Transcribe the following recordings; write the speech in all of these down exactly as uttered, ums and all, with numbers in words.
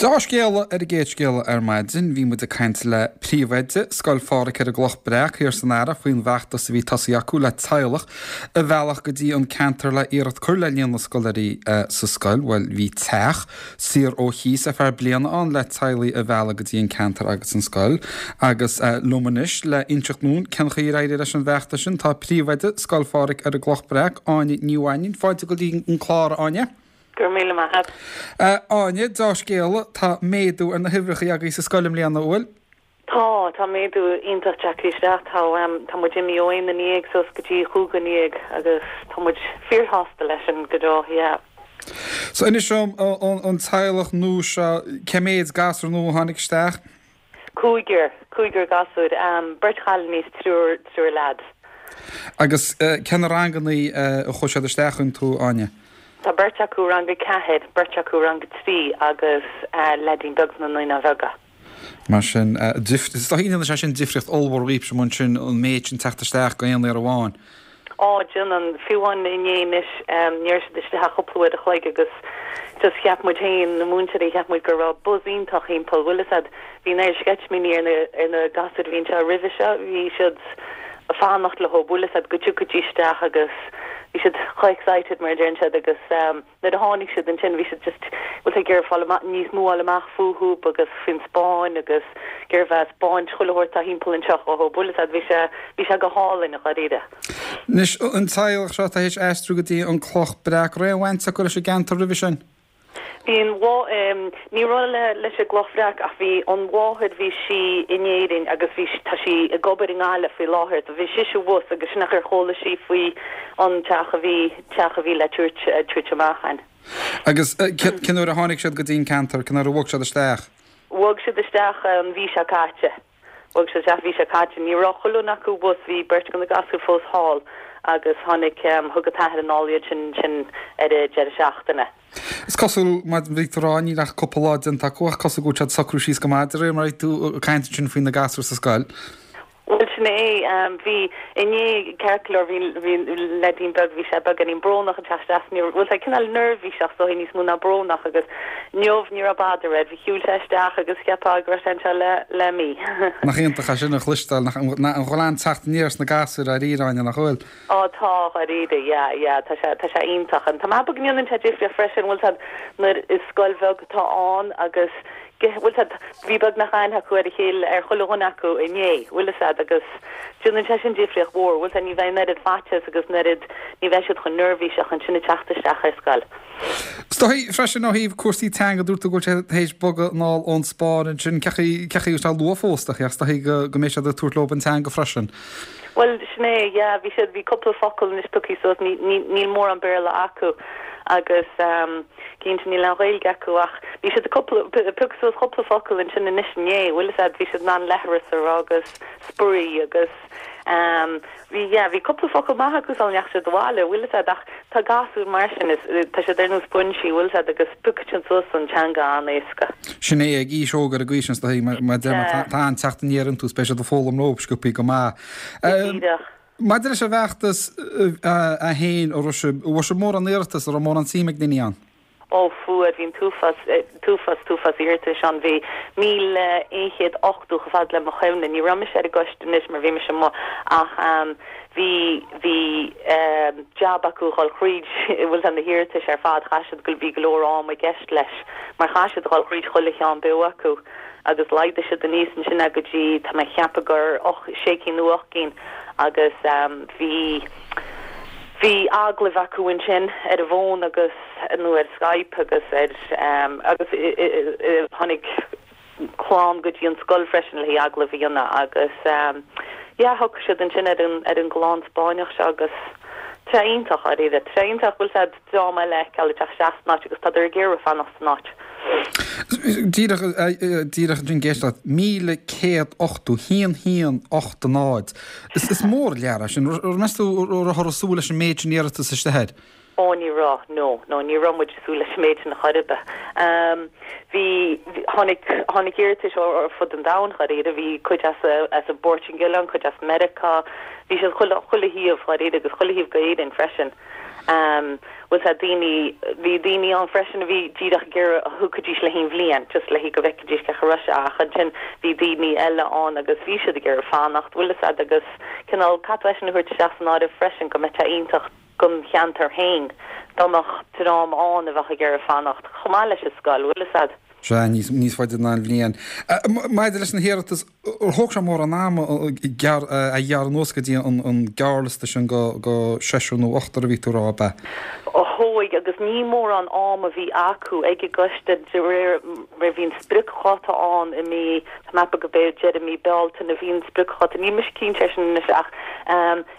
Deá-scéala ar an gcéad scéala ar maidin, bhí muid ag caint le príomhoide Scoil Phádraig ar an gCloch Breac thiar san Earrach faoin bhfeachtas a bhí tosaithe acu le teaghlach a mhealladh go dtí an ceantar le iarracht cur le líon na scoláirí sa scoil. Bhuel, bhí teach saor ó chíos ar feadh bliana ann le teaghlaigh a mhealladh go dtí an ceantar agus an scoil. Agus liom anois le inseacht dúinn cén chaoi ar éirigh leis an bhfeachtas sin tá príomhoide Scoil Phádraig ar an gCloch Breac, Áine Ní Mhainín. Fáilte go dtí an clár, a Áine. Go raibh míle maith agat. Áine, deá-scéala, tá méadú ar na huimhreacha agaibh sa scoil i mbliana, an bhfuil? Tá, tá méadú iontach tagtha isteach. Tá, tá muid imithe ó aon duine dhéag suas go dtí chúig dhuine dhéag agus tá muid fíorshásta leis sin go deo, yeah. So inis dom, an teaghlach nua seo, cé méid gasúr nua a tháinig isteach? Cúigear, cúigear gasúr, beirt chailíní is triúr, triúr leaids. Agus cé na rangannaí a chuaigh siad isteach iontu, Áine? Tá beirt acu rang a ceathair, beirt acu rang a trí agus leaidín beag sna Naíonáin Bheaga. Mar sin, is dóigh go ndéanann sé sin difríocht ollmhór dhaoibhse ansin an méid sin teacht isteach go aon uair amháin. Á, déanann. Fiú amháin inné anois, ní raibh siad istigh ach cúpla uair a chloig agus just cheap muid féin, na múinteoirí, cheap muid go raibh buzz iontach thimpeall, bhfuil fhios a'd, bhí an oiread sceitimíní ar na, ar na gasúir a bhí anseo roimhe seo, bhí siad ag fanacht leo, bhfuil fhios a'd, go dtiocfaidís isteach agus bhí siad chomh excited mar a deireann siad agus nuair a tháinig siad ansin bhí siad just bhfuil ag iarraidh fáil amach níos mó fháil amach fúthu agus faoin Spáinn agus ag iarraidh bheith ag 'spáint chuile shórt atá thimpeall anseo dhóibh, bhfuil fhios a'd, bhí sé bhí sé go hálainn dháiríre. Anois an teaghlach seo atá théis aistriú go dtí an Cloch Breac, raibh aon bhaint acu leis an gceantar roimhe sin? Bhí an mhá, ní raibh le leis an gCloch Bhreac ach bhí an mháthair, bhí sí in Éirinn agus bhí, tá sí ag obair i nGaillimh faoi láthair, so bhí sise abhus agus sin an chaoi ar chuala sí faoi an teach a bhí, teach a bhí le tabhairt, tabhairt amach ann. Agus cén uair a tháinig siad go dtí an ceantar, cén uair a bhog siad isteach? Bhog siad isteach an mhí seo caite. Bhog siad isteach an mhí seo caite. Ní raibh chuile dhuine acu abhus, bhí beirt de na gasúir fós thall agus tháinig, thug an t-athair anall iad sin sin ar an deireadh seachtaine. Is cosúil, mar a bhí tú ag rá, níl ach cúpla lá déanta acu ach cosúil go bhfuil siad ag socrú síos go maith de réir mar a bhí tú ag caint ansin faoi na gasúir sa scoil. Bhuel sin é, bhí, inné ceart go leor bhí, bhí leaidín beag, bhí sé beagáinín brónach ag teacht isteach, ní raibh, bhuel tá cineál neirbhíseach is dóigh níos mó ná brónach agus inniu ní raibh bother air, bhí shiúil sé isteach agus cheapfá go raibh sé anseo le, le mí. Nach iontach é sin a chloisteáil, nach, an bhfuil an-teacht aniar sna gasúir dáiríre, Áine, nach bhfuil? Á tá, dháiríre, yeah, yeah, tá sé, tá sé iontach. Tá mé ag ceapadh go ndéanann sé difríocht freisin, bhfuil 's a'd, nuair is scoil bheag atá ann agus, bhfuil 's a'd, bhí beagnach aithne acu ar a chéile, ar chuile dhuine acu inné, bhfuil 'fhios a'd, agus déanann sé sin difríocht mhór, bhfuil 's a'd, ní bheidh an oiread faitíos agus an oiread, ní bheidh siad chomh neirbhíseach ansin ag teacht isteach ar scoil. Is dóigh freisin ó thaobh cúrsaí teanga, dúirt tú go bhfuil siad théis bogadh anall ón Spáinn ansin, cé chaoi, cé chaoi, tá luath fós ach is dóigh go, go mbeidh siad ag tabhairt leo an teanga freisin. Bhuel, sin é, yeah, bhí siad, bhí cúpla focal anois pioctha suas, ní, ní, níl mórán Béarla acu agus ehm, cinnte níl aon Ghaeilge acu ach bhí siad ag cúpla, piocadh suas cúpla focal ansin anois inné, bhfuil 'fhios a'd, bhí siad in ann leithreas a rá agus spraoi agus ehm, bhí, yeah, bhí cúpla focal maith acu sula ndeachaigh siad abhaile, bhfuil 'fhios a'd, ach tá gasúir mar sin, is, tá siad ar nós spoinsí, bhfuil 'fhios a'd, agus piocfaidh siad suas an teanga an-éasca. Sin é, ag aois óg ar an gcaoi sin, is dóigh, mar mar a deir mé, tá, tá an-teacht aniar iontu, is beidh siad ag foghlaim leo sciobthaí go maith. Go díreach. Maidir leis an bhfeachtas é féin, an raibh sibh, an bhfuair sibh mórán iarratas, an raibh mórán suim ag daoine ann? Ó fuair, bhí an t-uafás, t-uafás, t-uafás iarratais ann. Bhí míle aon chéad ochtó chomh fada le mo chuimhne. Ní raibh mise ar an gcoiste anois mar bhí mise amuigh ach bhí, bhí jab acu a dhul thríd, bhfuil 's a'd, na hiarratais ar fad, chaith siad go, bhí go leor ama i gceist leis mar chaith siad a dhul thríd chuile cheann beo acu agus laghdaigh siad aníos ansin é go dtí, tá mé ag ceapadh gur ocht, sé cinn nó ocht gcinn agus bhí, bhí agallaimh acu ansin ar an bhfón agus. nó ar Skype agus ar agus tháinig clann go dtí an scoil freisin le haghaidh agallamh a dhéanamh agus yeah shocraigh siad ansin ar an ar an gclann Spáinneach seo agus tá sé iontach dháiríre, tá sé iontach bhfuil 's a'd dream eile a fheiceáil ag teacht isteach san áit agus tádar ag iarraidh fanacht san áit. Díreach díreach ansin ag éisteacht leat, míle céad ochtó, haon haon ocht a náid. Is is mór an lear é sin. Meas tú an rabhthar ag súil leis an méid sin iarratas isteach air? Ó ní raibh, no, no, ní raibh muid ag súil leis an méid sin chor ar bith. Bhí, tháinig, tháinig iarratais ó ar fud an domhain dháiríre, bhí cuid as, as an bPortaingéil ann, cuid as Meiriceá, bhí siad chuile, chuile thaobh dháiríre agus chuile thaobh go Éirinn freisin. Um, bhfuil a fhios a'd daoine bhí daoine ann freisin a bhí díreach ag iarraidh a thiocfaidís le haon bhliain just le go bhfeicfidís cén chaoi a raibh sé ach ansin bhí daoine eile ann agus bhí siad ag iarraidh fanacht bhfuil a fhios a'd agus cineál caithfidh tú sin a thabhairt isteach san áireamh freisin go mbeadh sé iontach don cheantar féin dá mbeadh dream ann a bheadh ag iarraidh fanacht chomh maith leis an scoil bhfuil a fhios a'd. Sea, níos, níos faide ná an bhliain. Maidir leis na hiarratais, ar thóg sé mórán ama a ghearradh anuas go dtí an gearrliosta sin go, go seisear nó ochtar a bhí tú a rá, ab ea? Thóg, agus ní mórán ama a bhí acu ag an gcoiste de réir mar bhí an spriocdháta ann i mí, tá mé ag ceapadh go b'é deireadh mí Bealtaine a bhí an spriocdháta, níl mise cinnte air sin anois ach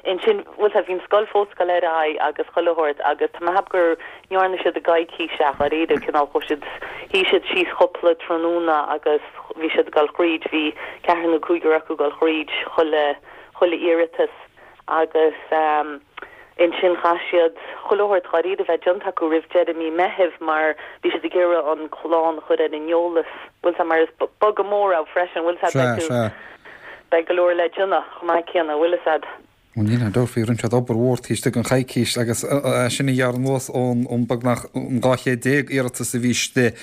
ansin, bhfuil a fhios a'd, bhí an scoil fós ag dul ar aghaidh agus chuile shórt agus tá mé ag ceapadh gur ndearna siad i gcoicís ach dáiríre, cineál chuaigh siad, shuigh siad síos cúpla tráthnóna agus bhí siad ag dul thríd, bhí ceathrar nó cúigear acu ag dul thríd chuile, chuile iarratas agus ehm ansin chaith siad chuile shórt dháiríre a bheith déanta acu roimh deireadh mí Meithimh mar bhí siad ag iarraidh an clann a chur ar an eolas, bhfuil a fhios a'd, mar is bogadh mór é freisin, bhfuil a fhios a'd, beidh tú, beidh go leor le déanamh chomh maith céanna, bhfuil a fhios a'd. Bhuel, níl aon dabht faoi, rinne siad obair mhór taobh istigh den choicís agus é sin a ghearradh anuas ón beagnach an dhá chéad déag iarratas a bhí istigh.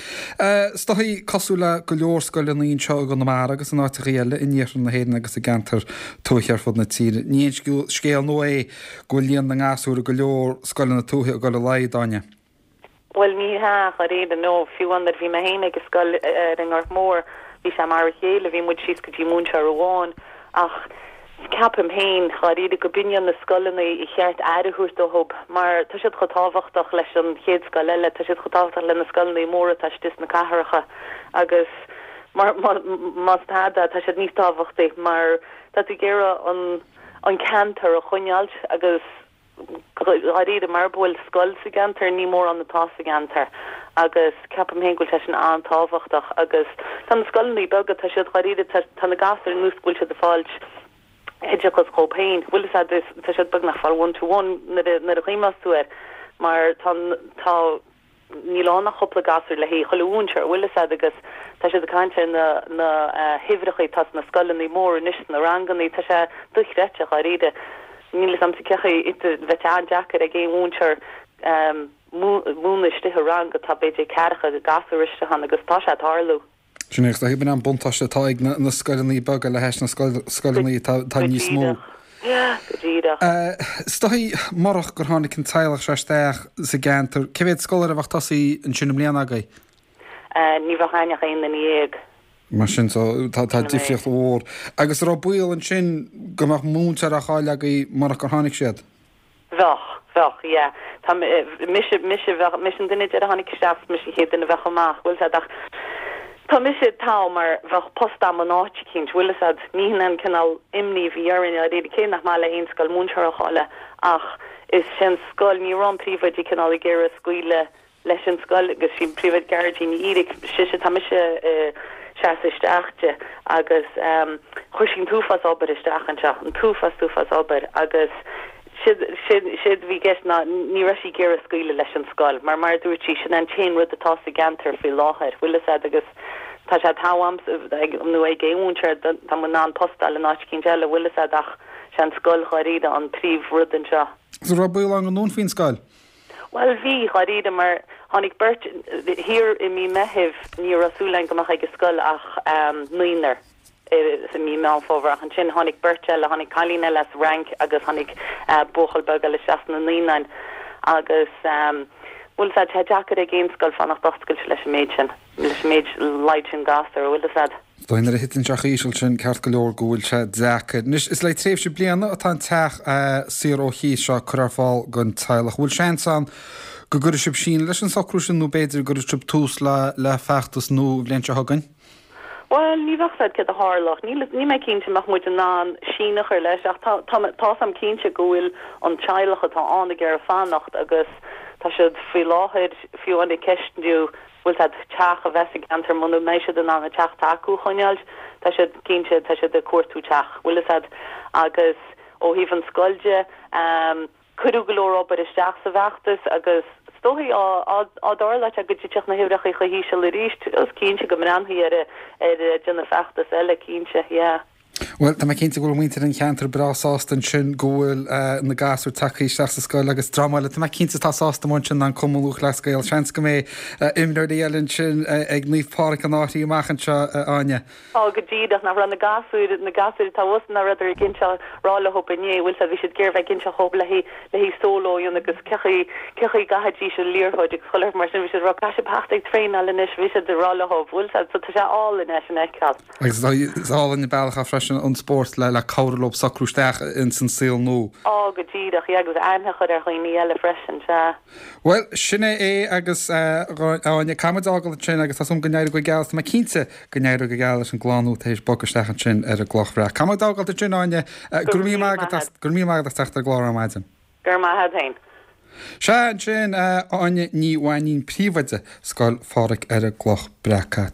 Is dóigh, cosúil le go leor scoileanna anseo i gConamara agus in áiteachaí eile in iarthar na hÉireann agus i gceantair tuaithe ar fud na tíre, ní haon scéal nua é go bhfuil líon na ngasúr i go leor scoileanna tuaithe ag dul i laghad, Áine. Bhuel, ní hea, dháiríre, nó fiú amháin nuair a bhí mé féin ag an scoil ar an nGort Mór, bhí sé mar a chéile, bhí muid síos go dtí múinteoir amháin, ach ceapaim féin, dháiríre, go b'in iad na scoileanna ar cheart aire a thabhairt dóibh, mar tá siad chomh tábhachtach leis an chéad scoil eile, tá siad chomh tábhachtach le na scoileanna móra atá istigh sna cathracha, agus mar, más tada, tá siad níos tábhachtaí, mar tá tú ag iarraidh an, an ceantar a choinneáilt agus. Dháiríre, mara bhfuil scoil sa gceantar, ní mórán atá sa gceantar agus ceapaim féin go bhfuil sé sin an-tábhachtach agus tá na scoileanna beaga, tá siad dháiríre, tá na gasúir ar nós go bhfuil siad ag fáilt oideachas dhóibh féin, bhfuil a fhios a'd, tá siad beagnach ag fáil one to one nuair a nuair a chuimhneos tú air mar tá tá Níl ann ach cúpla gasúr le haghaidh chuile mhúinteoir, bhfuil a fhios a'd, agus tá siad ag caint ar na na huimhreacha atá sna scoileanna móra anois, sna ranganna, tá sé dochreidte, dháiríre. Níl a fhios a'msa cén chaoi, bheadh sé an-deacair ag aon mhúinteoir múineadh istigh i rang atá b'fhéidir ceathracha gasúr istigh ann agus tá sé ag tarlú. Sin é, agus b'in an buntáiste atá ag na scoileanna beaga le hais na scoileanna atá níos mó. Go díreach. Is dóigh, murach gur tháinig an teaghlach seo isteach sa gceantar, cé mhéad scoláire a bheadh tosaithe ansin i mbliana agaibh? Ní bheadh againn ach aon duine dhéag. Mar sin, tá difríocht mhór. Agus an raibh baol ansin go mbeadh múinteoir á chailleadh agaibh murach gur tháinig siad? Bheadh, bheadh, yeah. Tá mise, mise, bheadh, mise an duine deiridh a tháinig isteach, mise an chéad duine a bheadh amach, bhfuil a fhios a'd, ach tá mise togha mar bheadh post a'm in áit eicínt, bhfuil a fhios a'd, ní hin an cineál imní a bhí orainn, dáiríre, cé nach maith le haon scoil múinteoir a chailleadh ach is sé an scoil, ní raibh an príomhoide cineál ag iarraidh scaoileadh leis an scoil agus sí príomhoide Gearóidín Ní Fhíric, sise, tá mise ag seasamh isteach di agus chuir sí an t-uafás obair isteach anseo, an t-uafás, t-uafás obair agus séard, séard, séard a bhí i gceist ná ní raibh sí ag iarraidh scaoileadh leis an scoil mar mar a dúirt sí, sin an t-aon rud atá sa gceantar faoi láthair, bhfuil a fhios a'd agus tá sé togha a'msa ag, nó ag aon mhúinteoir, tá muid in ann post a fháil in áit eicínt eile, bhfuil a fhios a'd ach sé an scoil dháiríre an príomh rud anseo. An raibh baol ann go ndúnfaí an scoil? Bhuel, bhí, dháiríre, mar tháinig beirt thiar i mí Meithimh, ní raibh súil againn go mbeadh ag an scoil ach naonúr i mí Meán Fómhair, ach ansin tháinig beirt eile, tháinig cailín eile as an Fhrainc agus tháinig buachaill beag eile isteach sna naíonáin agus, bhfuil a fhios a'd, tá sé deacair ag aon scoil fanacht oscailte leis an méid sin, leis an méid laghad sin gasúr, bhfuil a fhios a'd. Dóigh nuair a thiteann sé chomh híseal sin, ceart go leor go bhfuil sé deacair. Anois, is le tréimhse bliana atá an teach saor ó chíos seo curtha ar fáil don teaghlach. Bhfuil seans ann go gcuirfidh sibh síneadh leis an socrú sin nó b'fhéidir go gcuirfidh sibh tús le le feachtas nua an bhliain seo chugainn? Bhuel, ní bheadh a fhios a'd céard a tharlódh. Níl, níl mé cinnte an mbeadh muid in ann síneadh a chur leis ach tá, tá, tá a fhios a'm cinnte go bhfuil an teaghlach atá ann ag iarraidh fanacht agus tá siad faoi láthair fiú amháin ag ceistiú bhfuil a fhios a'd teach a bheith sa gceantar muna mbeidh siad in ann an teach atá acu a choinneáilt, tá siad cinnte, tá siad ag cuartú teach, bhfuil a fhios a'd. Agus ó thaobh an scoil de, cuireadh go leor obair isteach sa bhfeachtas agus is dóichí á á dtarlódh sé go dtitfeadh na huimhreacha chomh híseal arís, is cinnte go mbreathnófaí ar ar déanamh feachtas eile, cinnte, yeah. Bhuel, tá mé cinnte go bhfuil muintir an cheantair breá sásta ansin go bhfuil na gasúir tagtha isteach sa scoil agus dream eile, tá mé cinnte atá sásta amuigh ansin ná an Cumann Lúthchleas Gael. Seans go mbeidh imreoirí eile ansin ag Naomh Pádraig an Fhairche amach anseo, a Áine. Á, go díreach, nach raibh na gasúir, na gasúir atá thuas, nach rabhadar ag inseacht, rá leo inné, bhfuil 's a'd, bhí siad ag iarraidh bheith ag inseacht dhób le haghaidh, le haghaidh solo a dhéanamh agus cé chaoi, cé chaoi gcaithfidís an liathróid agus chuile shórt mar sin, bhí siad ag rá caithfidh sibh theacht ag traenáil anois, bhí siad ag rá leo, bhfuil 's a'd, so tá sé álainn é sin a fheiceáil. Agus is álainn an bealach é freisin an spórt le cabhrú leo socrú isteach ins an saol nua. Á, go díreach, yeah, agus aithne a chur ar dhaoine eile freisin, sea. Bhuel, sin é é agus a Áine, caithfidh muid fhágáil ansin agus tá súil agam go n-éireoidh go geal, tá mé cinnte go n-éireoidh go geal leis an gclann nua tar éis bogadh isteach ansin ar an gCloch Bhreac. Caithfidh muid fhágáil ansin, a Áine, go raibh míle maith agat as, go raibh míle maith agat as teacht ar an gclár ar maidin. Go raibh maith agat féin. Sea, ansin, Áine Ní Mhainín, Príomhoide Scoil Phádraig ar an gCloch Bhreac.